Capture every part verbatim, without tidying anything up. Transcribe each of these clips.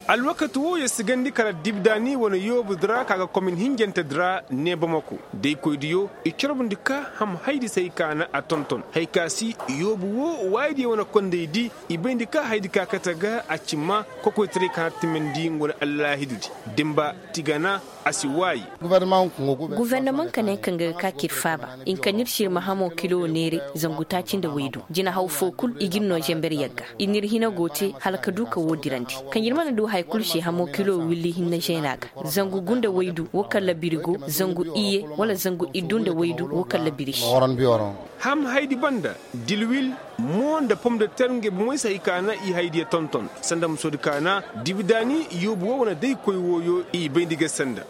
Alwakati woo yer si gandi kala dibdaani wane yoobu di ra ka ga komin hinjante di ra ne bamako. Daykoydiyo i corbundi ka ham haydi se hay ka na a tonton hay ka si yoobu woo waayidiyo wane kondey di. I bayndi ka haydi ka kate ga a ci maa kokoytaray ka na timandi nga wane allaahidudi. Dimba tigana a si waayi. Gufornamaŋ ka ne kaŋ ga ga ka ka ir faaba. I na kaŋ ir si ir ma hamoo kilo neeray zangu taaci nda waydu jinahaw foo kul i ga ir noo zember yagga. Ir n'ir hina go te hala ka du ka woo dirandi. Kaŋ ir mana du haya kul se hamoo kilo willi hinne zeena ga. Zangu gu nda waydu woo kaŋ labiri go, zangu iyye wala zangu iddu nda waydu woo kaŋ labiri se. Ham haydi banda dilwil, mo nda pom de ter ngey bomey se hay ka na i haydiya tonton. Sanda musoodi ka na dibidaani yoobu woo wane daykoy wooyo i bayndi ga sanda.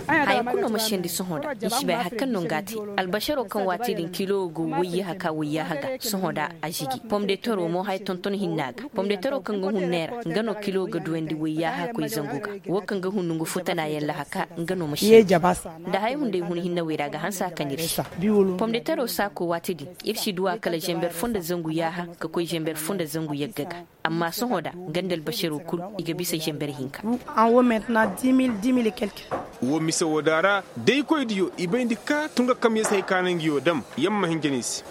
Haya kul no ma sendi sohõ da i si bay hari kaŋ no nga te. Albasaroo kaŋ waati din kilo go wayyaaha ka wayyaaha ga sohõ da a zigi pomdeteroo mo haya tonton hinna ga. Pomdeteroo kaŋ ga hun neera nga no kilo ga duwandi wayyaaha koy zangu ga. Woo kaŋ ga hun nongu futanaayaŋ lahaka nga no ma sendi. Nda haya hunday hun hinne wey ra ga hanse a kaŋ ir se. Pomdeteroo saakoo waati din ir si duw'a kala zember foo nda zangu yaaha ka koy zember foo nda zangu yagga ga. Amma sohõ da nga nda albasaroo kul i ga bisa zember hinka. Woo mise woo da ra daykoydiyo i bayndi ka tunga kamyaŋ se hay ka na ngiyoo dam. Yamma hinja no i se.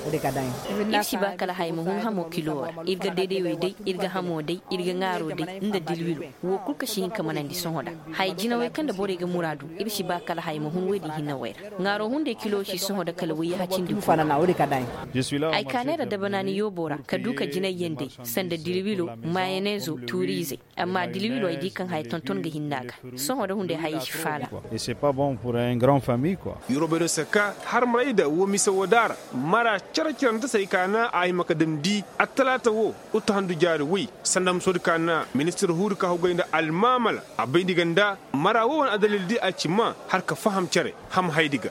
Ir si ba kala haya ma hun hamoo kiloo ra. Ir ga daydaywey day, ir ga hamoo day, ir ga ŋaaroo day nda dilwiloo. Woo kul ka si hin ka manandi sohõ da haya jinawey kaŋ nda borey ga muraadu. Ir si ba kala haya ma hun wey din hinne wey ra. Ŋaaroo hunday kiloo si sohõ da kala wayyaha cindi foo. Ay kaanay ra dabanaani yooboo ra ka duu ka jinayyaŋ day, sanda dilwiloo, mayaneezoo, tuuriizey. Amma dilwiloo ay dii kaŋ haya tonton ga hinne a ga. Sohõ da hunday hayey si faala. Yurobey do se ka harmarayda woo mise woo daara. Mara cere-cerante se ay kaana a hima ka damndi attalaata woo. Uttahandu jaari woy sanda musoodi kaana ministir huuri ka hugay nda almaamala. A bayndi ga nda mara woo wane adalildi a ci maa har ka faham cere. Ham haydi ga.